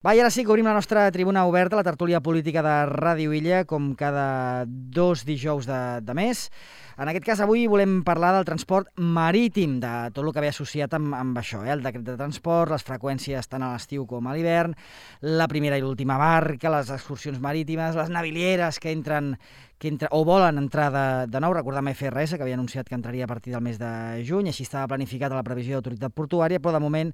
Va, i ara sí que obrim la nostra tribuna oberta, la tertúlia política de Ràdio Illa, com cada 2 dijous de mes. En aquest cas, avui volem parlar del transport marítim, de tot el que ve associat amb això, el decret de transport, les freqüències tant a l'estiu com a l'hivern, la primera i l'última barca, les excursions marítimes, les navilieres que entren o volen entrar de nou. Recordem FRS, que havia anunciat que entraria a partir del mes de juny, així estava planificat a la previsió d'autoritat portuària, però de moment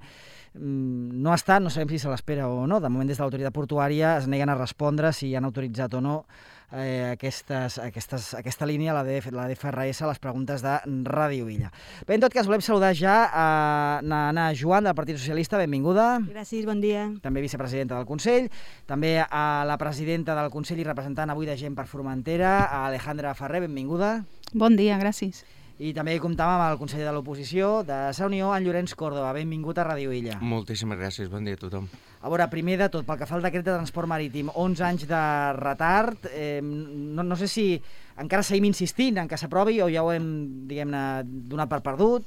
no està, no sabem si se l'espera o no. De moment, des de l'autoritat portuària es neguen a respondre si han autoritzat o no aquesta línia, la de FRS, a les preguntes de Ràdio Illa. Bé, en tot cas, volem saludar ja a Nana Joan, del Partit Socialista. Benvinguda. Gràcies, bon dia. També vicepresidenta del Consell. També a la presidenta del Consell i representant avui de Gent per Formentera, a Alejandra Ferrer. Benvinguda. Bon dia, gràcies. I també comptàvem amb el conseller de l'oposició de Sa Unió, en Llorenç Córdoba. Benvingut a Ràdio Illa. Moltíssimes gràcies, bon dia a tothom. A veure, primer de tot, pel que fa al decret de transport marítim, 11 anys de retard, no sé si encara seguim insistint en que s'aprovi o ja ho hem, diguem-ne, donat per perdut.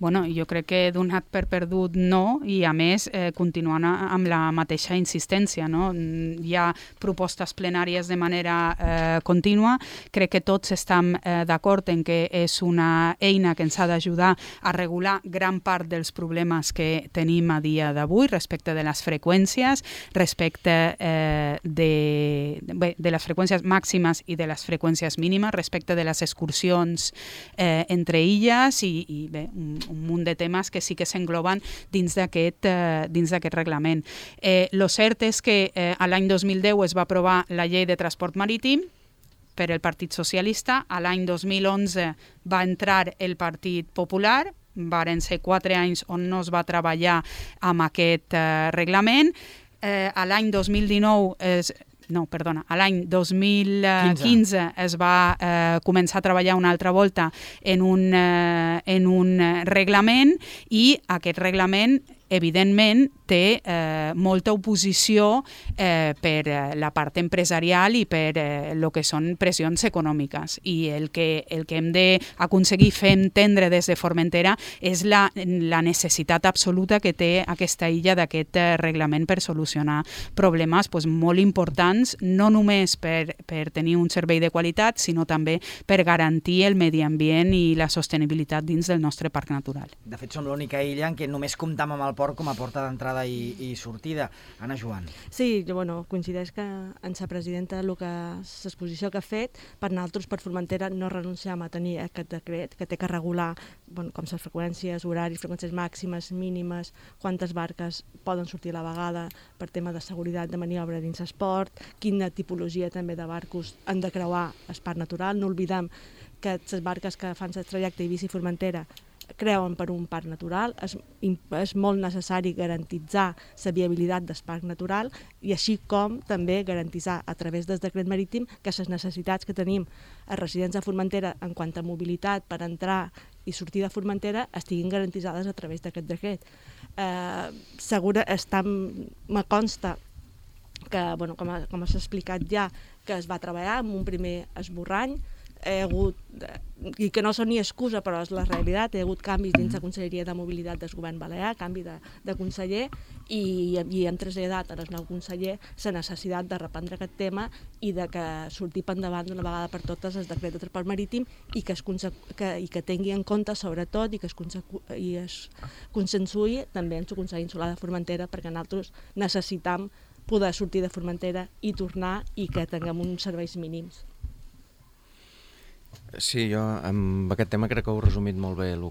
Bueno, jo crec que donat per perdut no, i a més continuant amb la mateixa insistència, no? Hi ha propostes plenàries de manera contínua. Crec que tots estem d'acord en que és una eina que ens ha d'ajudar a regular gran part dels problemes que tenim a dia d'avui respecte de les freqüències, respecte de les freqüències màximes i de les freqüències mínimes, respecte de les excursions entre illes i bé, un munt de temes que sí que s'engloben dins d'aquest reglament. Lo cert és que a l'any 2010 es va aprovar la llei de transport marítim per el Partit Socialista, a l'any 2011 va entrar el Partit Popular, varen ser 4 anys on no es va treballar amb aquest reglament. A l'any 2015 es va començar a treballar una altra volta en un reglament, i aquest reglament evidentment té molta oposició per la part empresarial i per el que són pressions econòmiques. I el que hem d'aconseguir fer entendre des de Formentera és la necessitat absoluta que té aquesta illa d'aquest reglament per solucionar problemes molt importants, no només per tenir un servei de qualitat, sinó també per garantir el medi ambient i la sostenibilitat dins del nostre parc natural. De fet, som l'única illa en què només comptam amb el port com a porta d'entrada i sortida. Anna Joan. Sí, coincideix que en sa presidenta l'exposició que ha fet, per nosaltres, per Formentera, no renunciam a tenir aquest decret que té que regular com les freqüències, horaris, freqüències màximes, mínimes, quantes barques poden sortir a la vegada per tema de seguretat de maniobra dins l'esport, quina tipologia també de barcos han de creuar el parc natural. No oblidem que les barques que fan el trajecte Eivissa-Formentera creuen per un parc natural. És molt necessari garantitzar la viabilitat del parc natural i així com també garantitzar a través del decret marítim que les necessitats que tenim a residents de Formentera en quant a mobilitat per entrar i sortir de Formentera estiguin garantitzades a través d'aquest decret. Me consta que, com s'ha explicat ja, que es va treballar amb un primer esborrany, i que no són ni excusa, però és la realitat. Hi ha hagut canvis dins la Conselleria de Mobilitat del Govern Balear, canvi de conseller, i hem traslladat al nou conseller la necessitat de reprendre aquest tema i de que surti endavant d'una vegada per totes el decret de transport marítim i que tingui en compte, sobretot, i que es consensui també en el Consell Insular de Formentera, perquè nosaltres necessitam poder sortir de Formentera i tornar i que tinguem uns serveis mínims. Sí, jo amb aquest tema crec que heu resumit molt bé la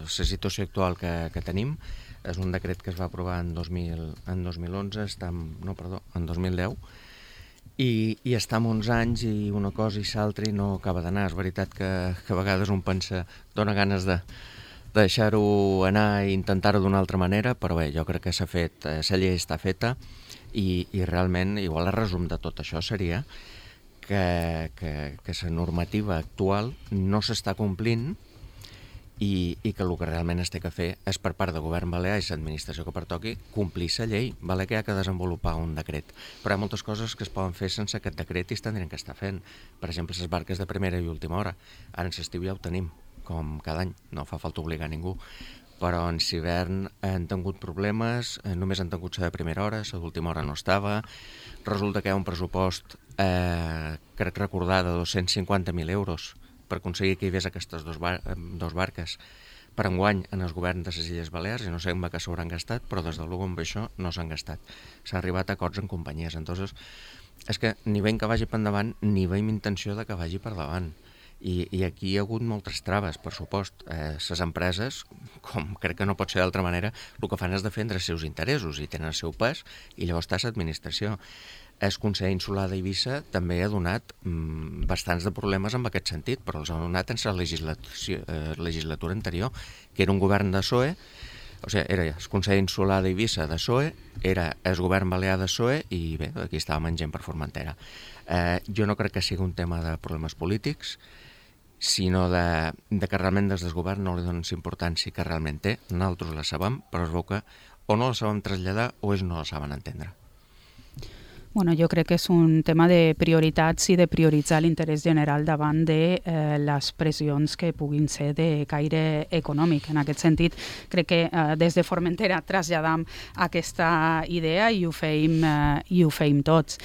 situació actual que tenim. És un decret que es va aprovar en 2011, en 2010, i està amb 11 anys i una cosa i l'altra i no acaba d'anar. És veritat que a vegades un pensa, dona ganes de deixar-ho anar i intentar-ho d'una altra manera, però bé, jo crec que s'ha fet, la llei està feta i realment, igual el resum de tot això seria que la normativa actual no s'està complint i que el que realment es té que fer és, per part del govern balear i l'administració que pertoqui, complir la llei. Vale que hi ha que desenvolupar un decret, però hi ha moltes coses que es poden fer sense aquest decret i es tindrien que estar fent. Per exemple, les barques de primera i última hora. Ara en l'estiu ja ho tenim, com cada any, no fa falta obligar ningú. però en hivern han tingut problemes, només han tingut ser de primera hora, ser d'última hora no estava. Resulta que hi ha un pressupost, crec recordar, de 250.000 euros per aconseguir que hi hagués aquestes dos barques per enguany en el govern de les Illes Balears, i no sé amb què s'hauran gastat, però des de luego amb això no s'han gastat. S'ha arribat a acords en companyies. Entonces, és que ni veiem que vagi per endavant, ni veiem intenció de que vagi per davant. I aquí hi ha hagut moltes traves, per supost. Les empreses, com crec que no pot ser d'altra manera, el que fan és defendre els seus interessos i tenen el seu pes, i llavors està l'administració. El Consell Insular d'Eivissa també ha donat bastants de problemes en aquest sentit, però els ha donat en la legislatura anterior, que era un govern de PSOE, o sigui, era el Consell Insular d'Eivissa de PSOE, era el govern balear de PSOE, i bé, aquí estàvem gent per Formentera. Jo no crec que sigui un tema de problemes polítics, sinó de que realment des del govern no li donen la importància que realment té. Nosaltres la sabem, però es veu que o no la sabem traslladar o ells no la saben entendre. Bueno, jo crec que és un tema de prioritats i de prioritzar l'interès general davant de les pressions que puguin ser de caire econòmic. En aquest sentit, crec que des de Formentera traslladam aquesta idea i ho feim tots.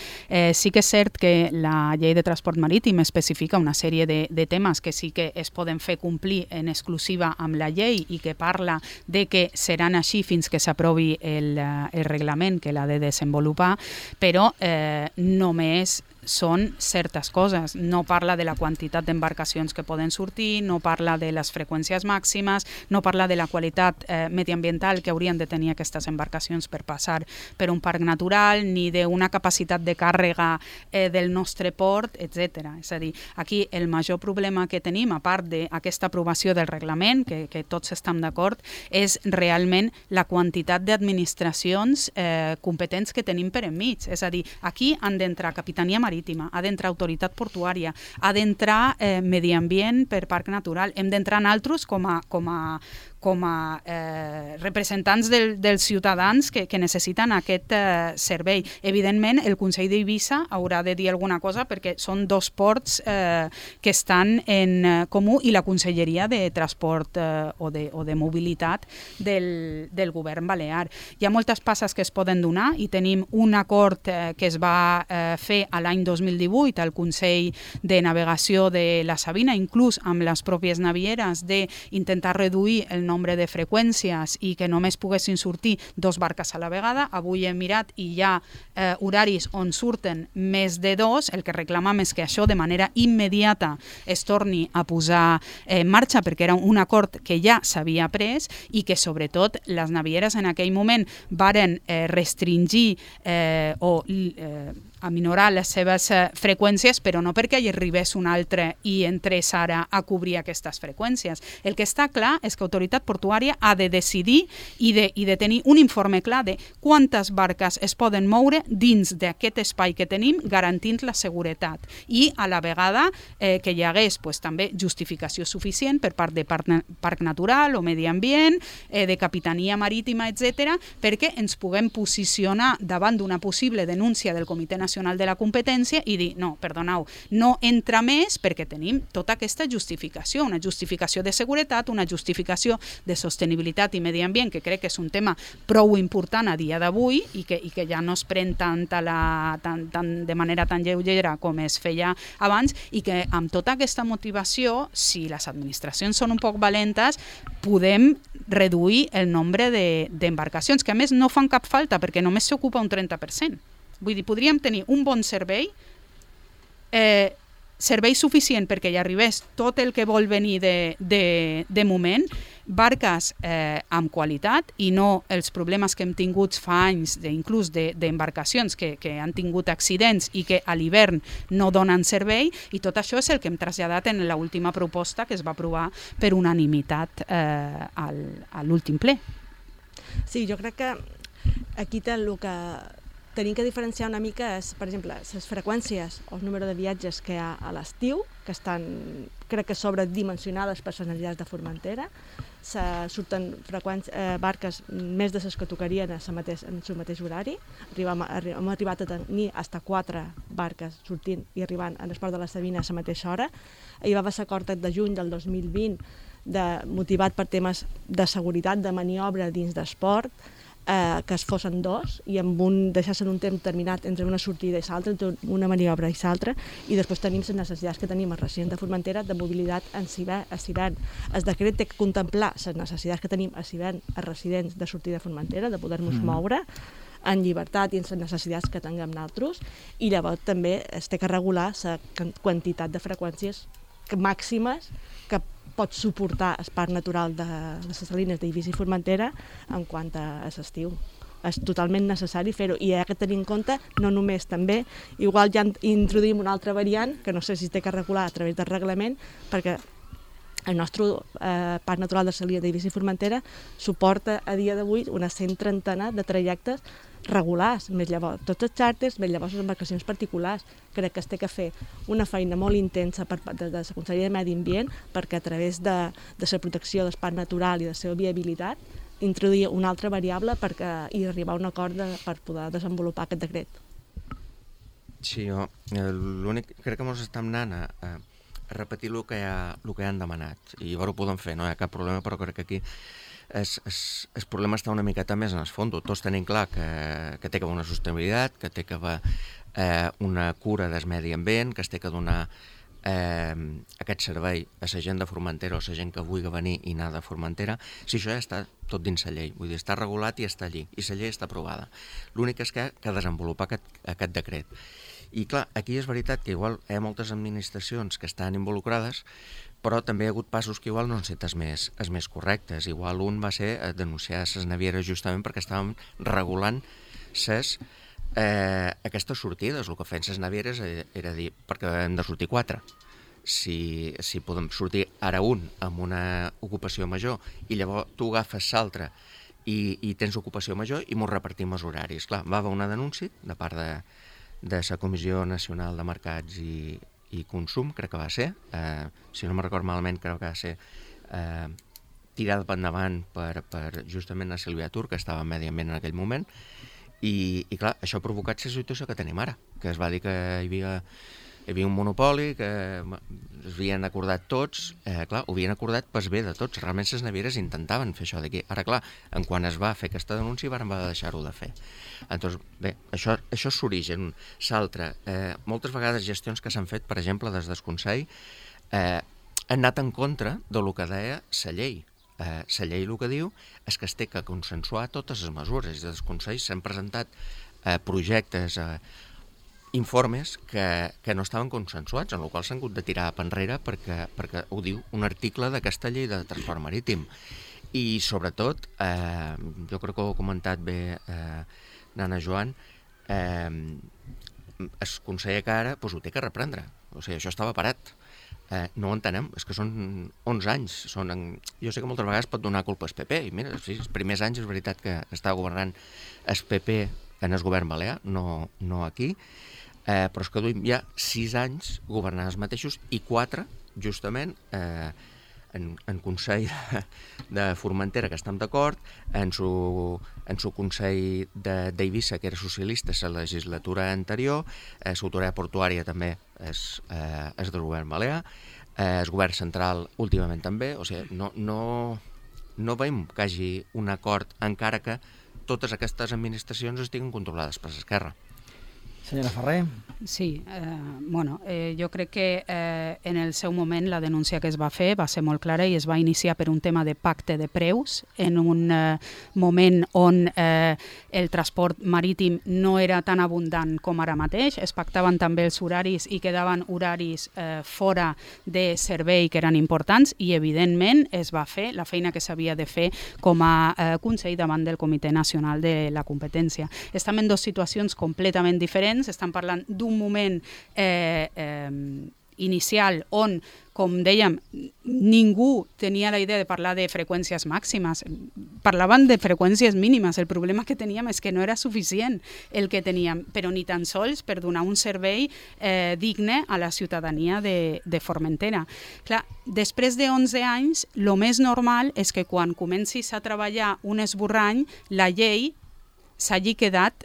Sí que és cert que la llei de transport marítim especifica una sèrie de temes que sí que es poden fer complir en exclusiva amb la llei i que parla de que seran així fins que s'aprovi el reglament que l'ha de desenvolupar, però només són certes coses. No parla de la quantitat d'embarcacions que poden sortir, no parla de les freqüències màximes, no parla de la qualitat mediambiental que haurien de tenir aquestes embarcacions per passar per un parc natural, ni d'una capacitat de càrrega del nostre port, etc. És a dir, aquí el major problema que tenim, a part d'aquesta aprovació del reglament, que tots estem d'acord, és realment la quantitat d'administracions competents que tenim per enmig. És a dir, aquí han d'entrar Capitania Marítima, ha d'entrar autoritat portuària, ha d'entrar medi ambient per parc natural, hem d'entrar nosaltres com a representants dels ciutadans que necessiten aquest servei. Evidentment, el Consell d'Eivissa haurà de dir alguna cosa perquè són dos ports que estan en comú i la Conselleria de Transport o de Mobilitat del govern balear. Hi ha moltes passes que es poden donar i tenim un acord que es va fer a l'any 2018 al Consell de Navegació de la Sabina, inclús amb les pròpies navieres, d'intentar reduir el nombre de freqüències i que només poguessin sortir 2 barques a la vegada. Avui hem mirat i hi ha horaris on surten més de 2. El que reclamam és que això de manera immediata es torni a posar en marxa perquè era un acord que ja s'havia pres i que sobretot les navieres en aquell moment varen restringir o aminorar les seves freqüències, però no perquè hi arribés un altre i entrés ara a cobrir aquestes freqüències. El que està clar és que l'autoritat portuària ha de decidir i de tenir un informe clar de quantes barques es poden moure dins d'aquest espai que tenim, garantint la seguretat. I a la vegada que hi hagués també justificació suficient per part de Parc Natural o Medi Ambient, de Capitania Marítima, etc., perquè ens puguem posicionar davant d'una possible denúncia del Comitè Nacional de la Competència i dir, no, perdoneu, no entra més perquè tenim tota aquesta justificació, una justificació de seguretat, una justificació de sostenibilitat i medi ambient, que crec que és un tema prou important a dia d'avui i que ja no es pren de manera tan lleugera com es feia abans i que amb tota aquesta motivació, si les administracions són un poc valentes, podem reduir el nombre d'embarcacions, que a més no fan cap falta perquè només s'ocupa un 30%. Vull dir, podríem tenir un bon servei, servei suficient perquè hi arribés tot el que vol venir de moment, barques amb qualitat i no els problemes que hem tingut fa anys, inclús d'embarcacions que han tingut accidents i que a l'hivern no donen servei, i tot això és el que hem traslladat en l'última proposta que es va aprovar per unanimitat a l'últim ple. Sí, jo crec que aquí el que tenim que diferenciar una mica és, per exemple, les freqüències o el número de viatges que hi ha a l'estiu, que estan, crec que sobredimensionades per les necessitats de Formentera. Surten barques més de les que tocarien en el mateix horari. Hem arribat a tenir fins a 4 barques sortint i arribant en el port de la Sabina a la mateixa hora. Hi va haver l'acord de juny del 2020 motivat per temes de seguretat, de maniobra dins d'esport, que es fossin dos i amb deixar-se en un temps determinat entre una sortida i l'altra, entre una maniobra i l'altra, i després tenim les necessitats que tenim al resident de Formentera de mobilitat a l'hivern. El decret té que contemplar les necessitats que tenim a l'hivern a residents de sortida de Formentera, de poder-nos moure en llibertat i en les necessitats que tinguem nosaltres, i llavors també es té que regular la quantitat de freqüències màximes que pot suportar el parc natural de les salines d'Eivissa i Formentera en quant a l'estiu. És totalment necessari fer-ho, i hi ha que tenir en compte no només també, igual ja introduïm una altra variant que no sé si es té que regular a través del reglament, perquè el nostre parc natural de Salines d'Eivissa i Formentera suporta a dia d'avui una 130 de trajectes regulars, més llavors tots els xàrters, més llavors les embarcacions particulars. Crec que es té que fer una feina molt intensa de la Conselleria de Medi Ambient perquè a través de la protecció del parc natural i de la seva viabilitat introduir una altra variable i arribar a un acord per poder desenvolupar aquest decret. Sí, l'únic, crec que ens estem anant a repetir el que han demanat, i llavors ho podem fer, no hi ha cap problema, però crec que aquí el problema està una miqueta més en el fons. Tots tenim clar que té que haver una sostenibilitat, que té que haver una cura del medi ambient, que es té que donar aquest servei a la gent de Formentera o a la gent que vulgui venir i anar de Formentera. Si això ja està tot dins la llei, vull dir, està regulat i està allí, i la llei està aprovada. L'únic és que desenvolupar aquest decret. I clar, aquí és veritat que igual hi ha moltes administracions que estan involucrades, però també hi ha hagut passos que igual no han estat els més correctes. Igual un va ser denunciar les navieres justament perquè estàvem regulant aquestes sortides. El que feien les navieres era dir, perquè hem de sortir 4. Si podem sortir ara un amb una ocupació major i llavors tu agafes l'altre i tens ocupació major i m'ho repartim els horaris. Clar, va haver una denúncia de part de la Comissió Nacional de Mercats i Consum, crec que va ser, si no me'n record malament, crec que va ser tirada per endavant per justament la Sílvia Tur, que estava en Medi Ambient en aquell moment, i clar, això ha provocat la situació que tenim ara, que es va dir que hi havia un monopoli, que es havien acordat tots, clar, ho havien acordat pel bé de tots, realment les navieres intentaven fer això d'aquí. Ara, clar, en quan es va fer aquesta denúncia van deixar-ho de fer. Doncs, bé, això és l'origen. L'altre, moltes vegades gestions que s'han fet, per exemple, des del Consell, han anat en contra del que deia la llei. La llei el que diu és que es té que consensuar totes les mesures. Des del Consell s'han presentat projectes, informes que no estaven consensuats, en el qual s'han hagut de tirar per enrere perquè ho diu un article d'aquesta llei de transport marítim. I sobretot, jo crec que ho ha comentat bé Nana Joan, el Consell que ara ho té que reprendre. O sigui, això estava parat. No ho entenem, és que són 11 anys. Jo sé que moltes vegades pot donar culpa al PP, i mira, sí, els primers anys és veritat que estava governant el PP en el govern balear, no aquí, però és que duim ja 6 anys governant els mateixos i 4, justament, en Consell de Formentera, que estem d'acord, en su Consell d'Eivissa, que era socialista la legislatura anterior, l'autoritat portuària també és del govern balear, el govern central últimament també, o sigui, no veiem que hi hagi un acord encara que totes aquestes administracions estiguin controlades per l'esquerra. Senyora Ferrer. Sí, jo crec que en el seu moment la denúncia que es va fer va ser molt clara i es va iniciar per un tema de pacte de preus en un moment on el transport marítim no era tan abundant com ara mateix. Es pactaven també els horaris i quedaven horaris fora de servei que eren importants i evidentment es va fer la feina que s'havia de fer com a Consell davant del Comitè Nacional de la Competència. Estem en dues situacions completament diferents. Estan parlant d'un moment inicial on, com dèiem, ningú tenia la idea de parlar de freqüències màximes. Parlaven de freqüències mínimes. El problema que teníem és que no era suficient el que teníem, però ni tan sols per donar un servei digne a la ciutadania de Formentera. Clar, després de 11 anys, el més normal és que quan comencis a treballar un esborrany, la llei s'hagi quedat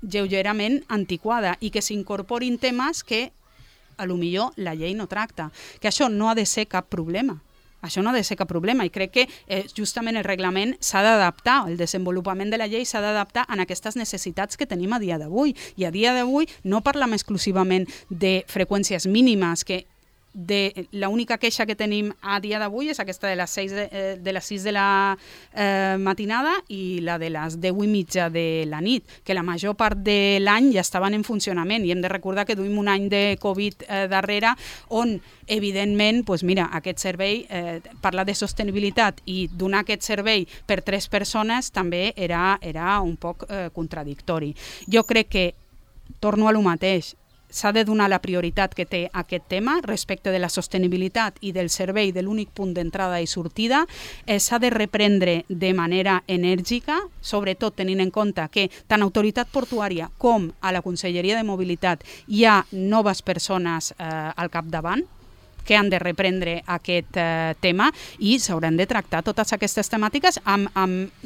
lleugerament antiquada i que s'incorporin temes que a lo millor la llei no tracta, que això no ha de ser cap problema, Això no ha de ser cap problema i crec que justament el reglament s'ha d'adaptar, el desenvolupament de la llei s'ha d'adaptar a aquestes necessitats que tenim a dia d'avui. I a dia d'avui no parlem exclusivament de freqüències mínimes, que l'única queixa que tenim a dia d'avui és aquesta de les 6 de la matinada i la de les 10:30 de la nit, que la major part de l'any ja estaven en funcionament i hem de recordar que duim un any de Covid darrere on, evidentment, aquest servei, parlar de sostenibilitat i donar aquest servei per 3 persones també era un poc contradictori. Jo crec que, torno a lo mateix, s'ha de donar la prioritat que té aquest tema respecte de la sostenibilitat i del servei de l'únic punt d'entrada i sortida. S'ha de reprendre de manera enèrgica, sobretot tenint en compte que tant Autoritat Portuària com a la Conselleria de Mobilitat hi ha noves persones al capdavant que han de reprendre aquest tema i s'hauran de tractar totes aquestes temàtiques amb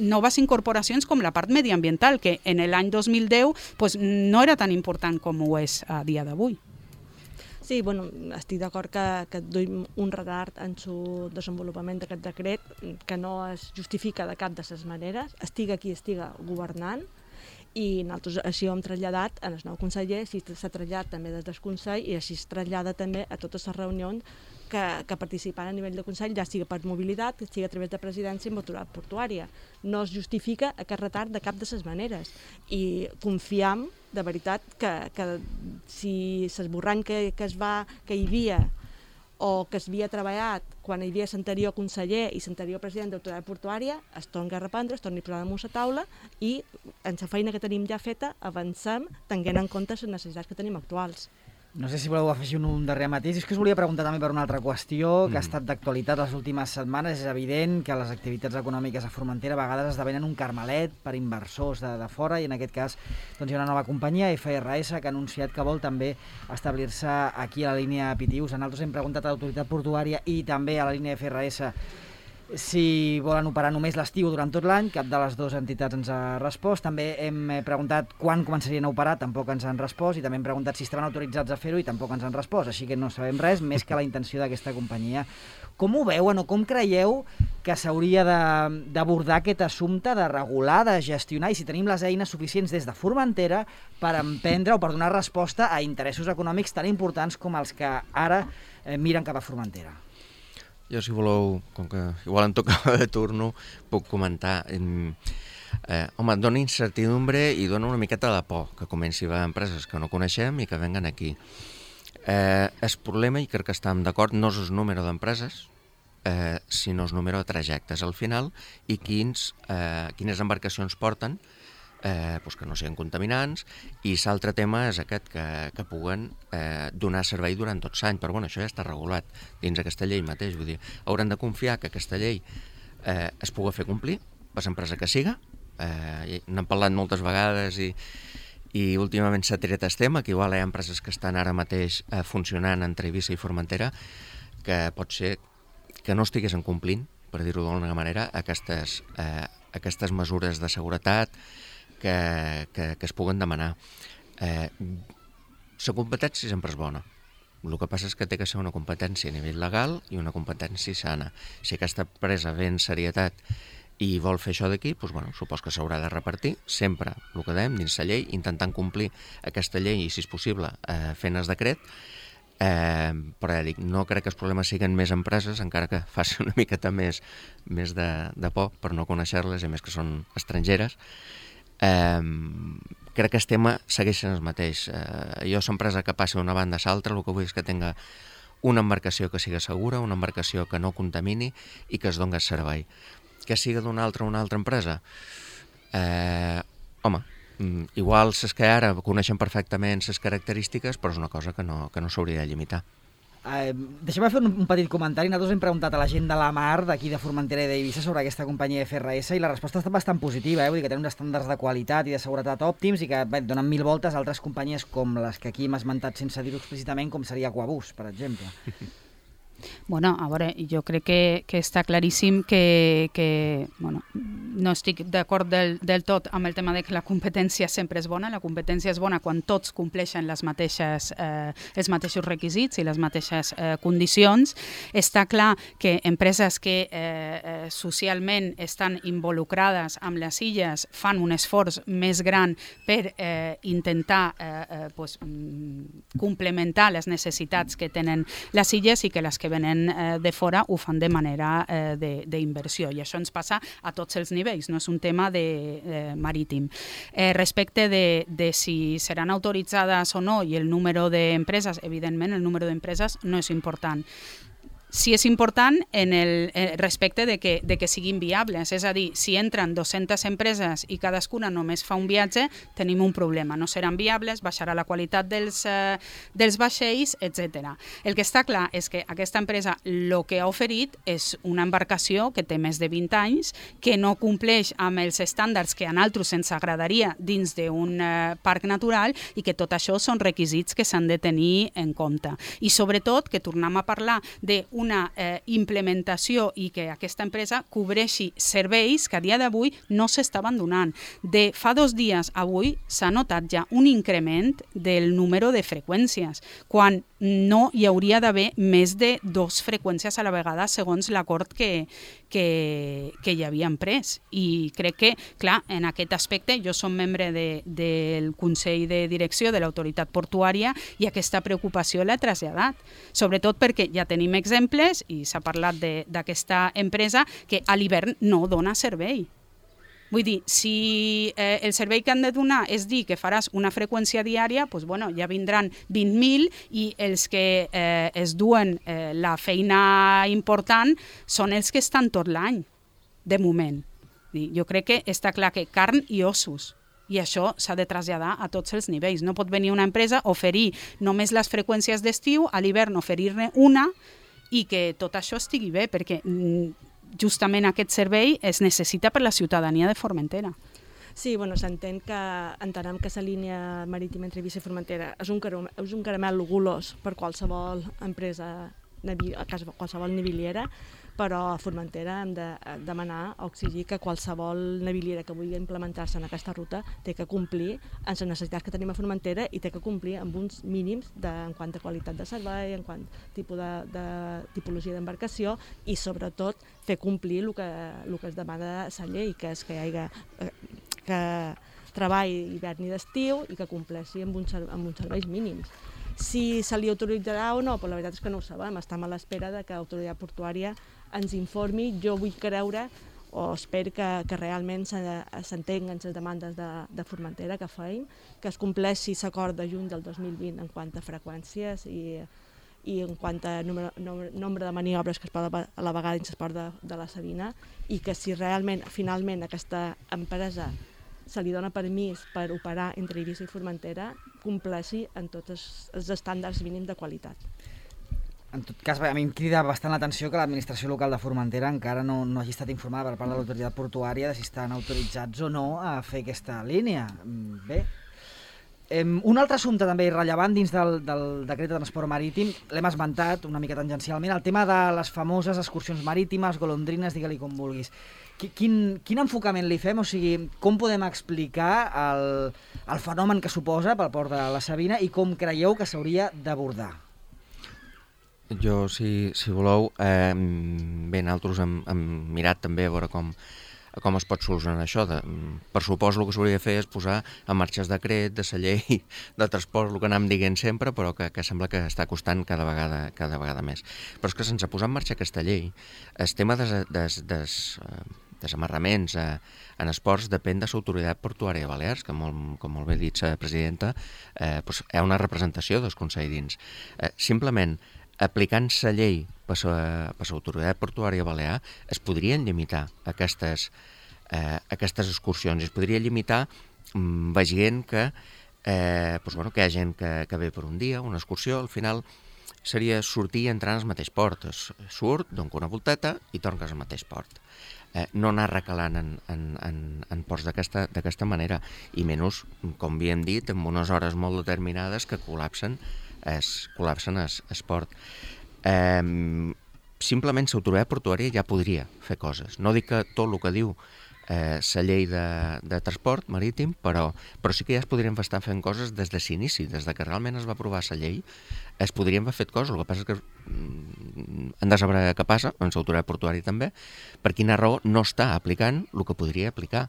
noves incorporacions com la part mediambiental, que en l'any 2010 no era tan important com ho és a dia d'avui. Sí, estic d'acord que duim un retard en el desenvolupament d'aquest decret que no es justifica de cap de les maneres, estiga qui estiga governant, i nosaltres així ho hem traslladat en el nou conseller, així s'ha traslladat també des del Consell i així es trasllada també a totes les reunions que participen a nivell de Consell, ja sigui per mobilitat, sigui a través de presidència i Autoritat Portuària. No es justifica aquest retard de cap de les maneres i confiem, de veritat, que si l'esborrany que hi havia o que s'havia treballat quan hi havia l'anterior conseller i l'anterior president d'Autoritat Portuària es torni a reprendre, es torni a posar damunt la taula i en la feina que tenim ja feta avancem tenint en compte les necessitats que tenim actuals. No sé si voleu afegir un darrer matís. És que us volia preguntar també per una altra qüestió que ha estat d'actualitat les últimes setmanes. És evident que les activitats econòmiques a Formentera a vegades esdevenen un carmelet per inversors de fora i en aquest cas hi ha una nova companyia, FRS, que ha anunciat que vol també establir-se aquí a la línia Pitius. Nosaltres hem preguntat a l'Autoritat Portuària i també a la línia FRS si volen operar només l'estiu durant tot l'any, cap de les dues entitats ens ha respost. També hem preguntat quan començarien a operar, tampoc ens han respost, i també hem preguntat si estaven autoritzats a fer-ho i tampoc ens han respost, així que no sabem res més que la intenció d'aquesta companyia. Com ho veuen o com creieu que s'hauria d'abordar aquest assumpte de regular, de gestionar, i si tenim les eines suficients des de Formentera per emprendre o per donar resposta a interessos econòmics tan importants com els que ara miren cap a Formentera? Jo, si voleu, com que igual em tocava de turno, puc comentar. Home, dona incertidumbre i dona una miqueta de por que comenci a haver empreses que no coneixem i que venguen aquí. El problema, i crec que estem d'acord, no és el número d'empreses, sinó el número de trajectes al final i quines embarcacions porten, que no siguin contaminants, i l'altre tema és aquest, que puguen donar servei durant tot l'any, però bueno, això ja està regulat dins aquesta llei mateix, vull dir, hauran de confiar que aquesta llei es pugui fer complir per l'empresa que siga. N'hem parlat moltes vegades i últimament s'ha tret el tema, que igual hi ha empreses que estan ara mateix funcionant entre Eivissa i Formentera que pot ser que no estiguessin complint, per dir-ho d'alguna manera, aquestes mesures de seguretat que es puguen demanar. La competència sempre és bona. El que passa és que té que ser una competència a nivell legal i una competència sana. Si aquesta empresa ve en serietat i vol fer això d'aquí, supos que s'haurà de repartir, sempre, el que dèiem, dins la llei, intentant complir aquesta llei i, si és possible, fent el decret. Però ja dic, no crec que els problemes siguin més empreses, encara que faci una miqueta més de por per no conèixer-les, i més que són estrangeres. Crec que el tema segueix sent el mateix. Jo, l'empresa que passi d'una banda a l'altra, el que vull és que tinga una embarcació que sigui segura, una embarcació que no contamini i que es doni servei. Que sigui d'una altra empresa? Home, igual les que ara coneixen perfectament les característiques, però és una cosa que no s'hauria de limitar. Deixem-me fer un petit comentari. Nosaltres hem preguntat a la gent de la mar d'aquí de Formentera i d'Eivissa sobre aquesta companyia FRS i la resposta ha estat bastant positiva, vull dir que tenen uns estàndards de qualitat i de seguretat òptims i que donen 1000 voltes a altres companyies com les que aquí hem esmentat sense dir-ho explícitament, com seria Aquabus, per exemple. Bueno, a veure, jo crec que està claríssim que no estic d'acord del tot amb el tema de que la competència sempre és bona. La competència és bona quan tots compleixen els mateixos requisits i les mateixes condicions. Està clar que empreses que socialment estan involucrades amb les illes fan un esforç més gran per intentar complementar les necessitats que tenen les illes i que les que venen de fora ho fan de manera d'inversió. I això ens passa a tots els nivells, no és un tema marítim. Respecte de si seran autoritzades o no i el número d'empreses, evidentment el número d'empreses no és important. Sí és important en el respecte de que siguin viables, és a dir, si entren 200 empreses i cadascuna només fa un viatge, tenim un problema, no seran viables, baixarà la qualitat dels vaixells, etc. El que està clar és que aquesta empresa el que ha oferit és una embarcació que té més de 20 anys, que no compleix amb els estàndards que a nosaltres ens agradaria dins d'un parc natural i que tot això són requisits que s'han de tenir en compte. I sobretot que tornem a parlar d'una implementació i que aquesta empresa cobreixi serveis que a dia d'avui no s'estaven donant. De fa 2 dies a avui s'ha notat ja un increment del número de freqüències, quan no hi hauria d'haver més de 2 freqüències a la vegada segons l'acord que hi havien pres. I crec que, clar, en aquest aspecte jo som membre del Consell de Direcció de l'Autoritat Portuària i aquesta preocupació l'he traslladat, sobretot perquè ja tenim exemples i s'ha parlat d'aquesta empresa que a l'hivern no dona servei. Vull dir, si el servei que han de donar és dir que faràs una freqüència diària, doncs, ja vindran 20.000 i els que es duen la feina important són els que estan tot l'any, de moment. Jo crec que està clar que carn i ossos, i això s'ha de traslladar a tots els nivells. No pot venir una empresa a oferir només les freqüències d'estiu, a l'hivern oferir-ne una, i que tot això estigui bé, perquè justament aquest servei es necessita per la ciutadania de Formentera. Sí, entenem que la línia marítima entre Eivissa i Formentera és un caramel golós per qualsevol empresa, qualsevol naviliera, però a Formentera hem de demanar o exigir que qualsevol naviliera que vulgui implementar-se en aquesta ruta té que complir amb les necessitats que tenim a Formentera i té que complir amb uns mínims en quant a qualitat de servei, en quant a tipologia d'embarcació i sobretot fer complir el que es demana a la llei, que és que hi hagi treball hivern i d'estiu i que compleixi amb uns serveis mínims. Si se li autoritzarà o no, la veritat és que no ho sabem, estem a l'espera que l'autoritat portuària ens informi. Jo vull creure o espero que realment s'entenguen les demandes de Formentera que feim, que es compleixi l'acord de juny del 2020 en quant a freqüències i en quant a nombre de maniobres que es poden a la vegada dins l'esport de la Sabina, i que si realment, finalment, aquesta empresa se li dona permís per operar entre Eivissa i Formentera, compleixi en tots els estàndards mínims de qualitat. En tot cas, a mi em crida bastant l'atenció que l'administració local de Formentera encara no hagi estat informada per part de l'autoritat portuària de si estan autoritzats o no a fer aquesta línia. Bé. Un altre assumpte també rellevant dins del decret de transport marítim, l'hem esmentat una mica tangencialment, el tema de les famoses excursions marítimes, golondrines, digue-li com vulguis. Quin enfocament li fem? O sigui, com podem explicar el fenomen que suposa pel port de la Sabina i com creieu que s'hauria d'abordar? Jo, si voleu, nosaltres hem mirat també a veure com es pot solucionar això. Per supòs el que s'hauria de fer és posar en marxa el decret de la llei de transport, el que anem dient sempre, però que sembla que està costant cada vegada més. Però és que sense posar en marxa aquesta llei, el tema desamarraments en esports depèn de l'autoritat portuària de Balears, que com molt bé ha dit la presidenta, hi ha una representació del Consell dins. Simplement, aplicant la llei per l'autoritat portuària balear, es podrien limitar aquestes excursions, es podria limitar veient que hi ha gent que ve per un dia, una excursió, al final seria sortir i entrar en el mateix port. Surt, dona una volteta i torna al mateix port. No anar recalant en ports d'aquesta manera, i menys, com havíem dit, en unes hores molt determinades que col·lapsen el port. simplement l'autoritat portuària ja podria fer coses. No dic que tot el que diu la llei de transport marítim, però sí que ja es podrien estar fent coses des de l'inici, des de que realment es va aprovar la llei, es podrien haver fet coses. El que passa és que hem de saber què passa, amb l'autoritat portuària també, per quina raó no està aplicant el que podria aplicar.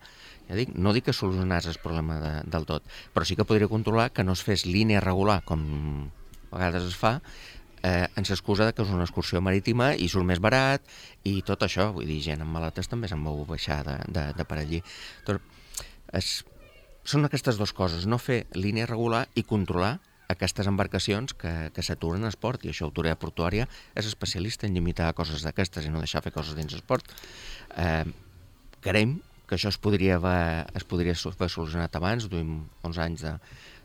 Ja dic, no dic que solucionés el problema del tot, però sí que podria controlar que no es fes línia regular, com a vegades es fa, ens excusa que és una excursió marítima i surt més barat i tot això, vull dir, gent amb maletes també se'n vau baixar de per allí. Són aquestes dues coses, no fer línia regular i controlar aquestes embarcacions que s'aturen al port, i això l'autoritat portuària és especialista en limitar coses d'aquestes i no deixar fer coses dins el port. Creiem que això es podria haver solucionat abans, duim 11 anys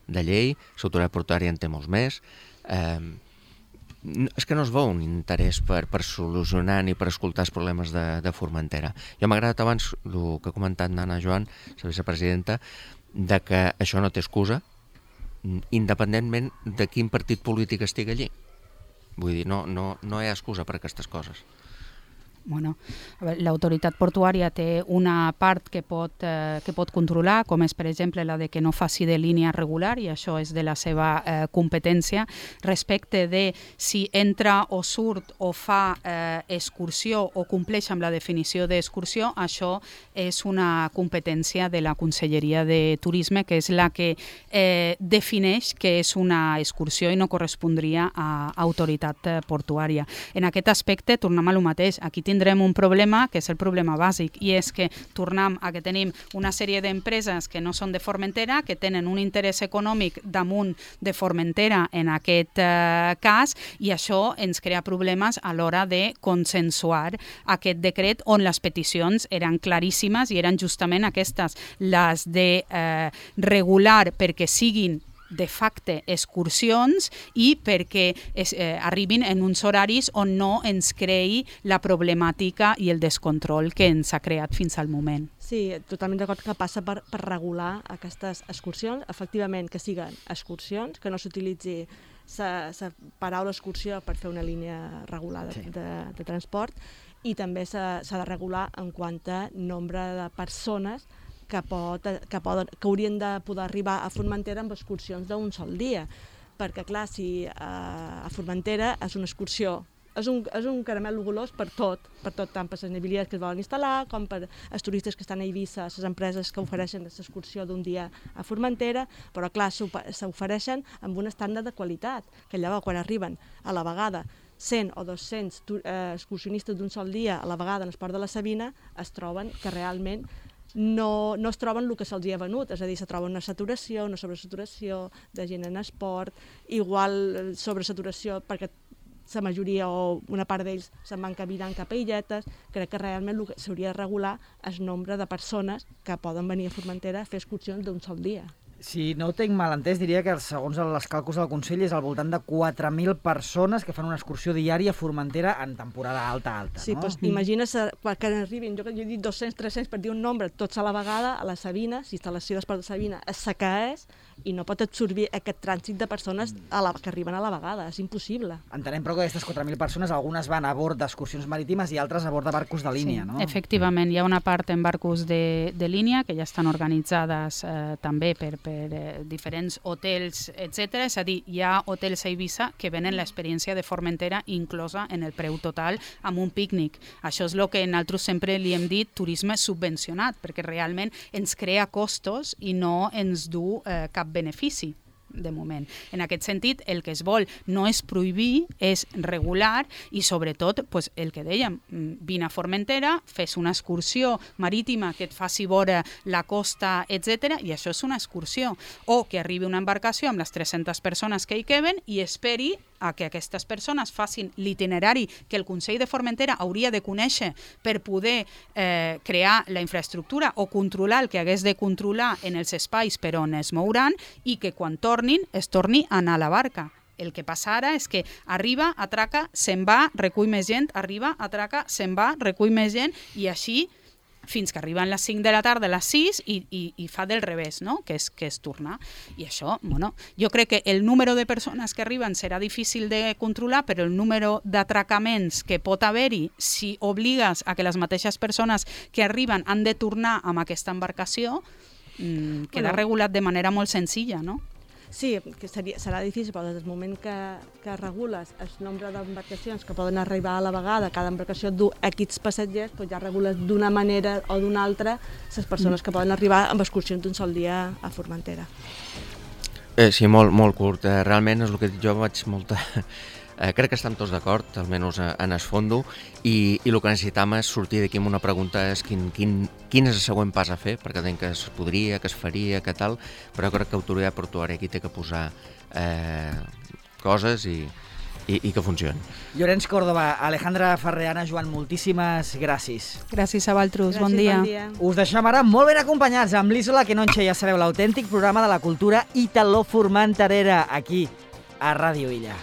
de llei, l'autoritat portuària en té molts més. És que no es veu un interès per solucionar ni per escoltar els problemes de Formentera. Jo m'ha agradat abans el que ha comentat Nana Joan, la vicepresidenta, de que això no té excusa, independentment de quin partit polític estigui allí. Vull dir, no hi ha excusa per aquestes coses. Bueno, l'autoritat portuària té una part que pot controlar, com és, per exemple, la de que no faci de línia regular, i això és de la seva competència. Respecte de si entra o surt o fa excursió o compleix amb la definició d'excursió, això és una competència de la Conselleria de Turisme, que és la que defineix que és una excursió i no correspondria a autoritat portuària. En aquest aspecte, tornem a lo mateix. Aquí tindrem un problema que és el problema bàsic, i és que tornem a que tenim una sèrie d'empreses que no són de Formentera, que tenen un interès econòmic damunt de Formentera en aquest cas, i això ens crea problemes a l'hora de consensuar aquest decret, on les peticions eren claríssimes i eren justament aquestes, les de regular perquè siguin de facte excursions i perquè arribin en uns horaris on no ens creï la problemàtica i el descontrol que ens ha creat fins al moment. Sí, totalment d'acord que passa per regular aquestes excursions, efectivament que siguen excursions, que no s'utilitzi la paraula excursió per fer una línia regular de transport, i també s'ha de regular en quant a nombre de persones que haurien de poder arribar a Formentera amb excursions d'un sol dia. Perquè, clar, si a Formentera és una excursió, és un caramel golós per tot, tant per les nevilles que es volen instal·lar, com per els turistes que estan a Eivissa, les empreses que ofereixen l'excursió d'un dia a Formentera, però, clar, s'ofereixen amb un estàndard de qualitat, que llavors, quan arriben a la vegada 100 o 200 excursionistes d'un sol dia a la vegada en el port de la Sabina, es troben que realment no es troben el que se'ls ha venut, és a dir, se troben una saturació, una sobresaturació de gent en esport, igual sobresaturació perquè la majoria o una part d'ells se'n van caminant cap a illetes. Crec que realment el que s'hauria de regular és el nombre de persones que poden venir a Formentera a fer excursions d'un sol dia. Si no ho tinc mal entès, diria que segons els càlculs del Consell és al voltant de 4.000 persones que fan una excursió diària a Formentera en temporada alta. Sí, no? Doncs imagina't que arribin, jo he dit 200, 300 per dir un nombre, tots a la vegada, a la Sabina, si instal·lació d'esport de Sabina és la que és, i no pot absorbir aquest trànsit de persones que arriben a la vegada, és impossible. Entenem, però, que aquestes 4.000 persones, algunes van a bord d'excursions marítimes i altres a bord de barcos de línia, sí, no? Efectivament, hi ha una part en barcos de línia que ja estan organitzades també per diferents hotels, etc. És a dir, hi ha hotels a Eivissa que venen l'experiència de Formentera inclosa en el preu total amb un pícnic. Això és el que nosaltres sempre li hem dit turisme subvencionat, perquè realment ens crea costos i no ens du cap benefici de moment. En aquest sentit, el que es vol no és prohibir, és regular, i sobretot el que dèiem, vine a Formentera, fes una excursió marítima que et faci veure la costa, etc. i això és una excursió. O que arribi una embarcació amb les 300 persones que hi queben i esperi a que aquestes persones facin l'itinerari que el Consell de Formentera hauria de conèixer per poder crear la infraestructura o controlar el que hagués de controlar en els espais per on es mouran, i que quan tornin es torni a anar a la barca. El que passa ara és que arriba, atraca, se'n va, recull més gent, arriba, atraca, se'n va, recull més gent, i així fins que arriben les 5 de la tarda, a les 6, i fa del revés, no? que és tornar. I això, bueno, jo crec que el número de persones que arriben serà difícil de controlar, però el número d'atracaments que pot haver-hi si obligues a que les mateixes persones que arriben han de tornar amb aquesta embarcació queda regulat de manera molt senzilla, no? Sí, que serà difícil, però des del moment que regules el nombre d'embarcacions que poden arribar a la vegada, cada embarcació du X passatgers, doncs ja regules d'una manera o d'una altra les persones que poden arribar amb excursions d'un sol dia a Formentera. Sí, molt curt. Realment és el que jo vaig molta... crec que estem tots d'acord, almenys en el fondo, i el que necessitam és sortir d'aquí amb una pregunta, és quin és el següent pas a fer, perquè entenc que es podria, que es faria, que tal, però crec que l'autoritat portuària aquí té que posar coses i que funcionin. Llorenç Córdoba, Alejandra Ferreana, Joan, moltíssimes gràcies. Gràcies a vosaltres, bon dia. Us deixem ara molt ben acompanyats amb l'Isola Quenonche, ja sabeu, l'autèntic programa de la cultura italo-formenterera aquí a Ràdio Illa.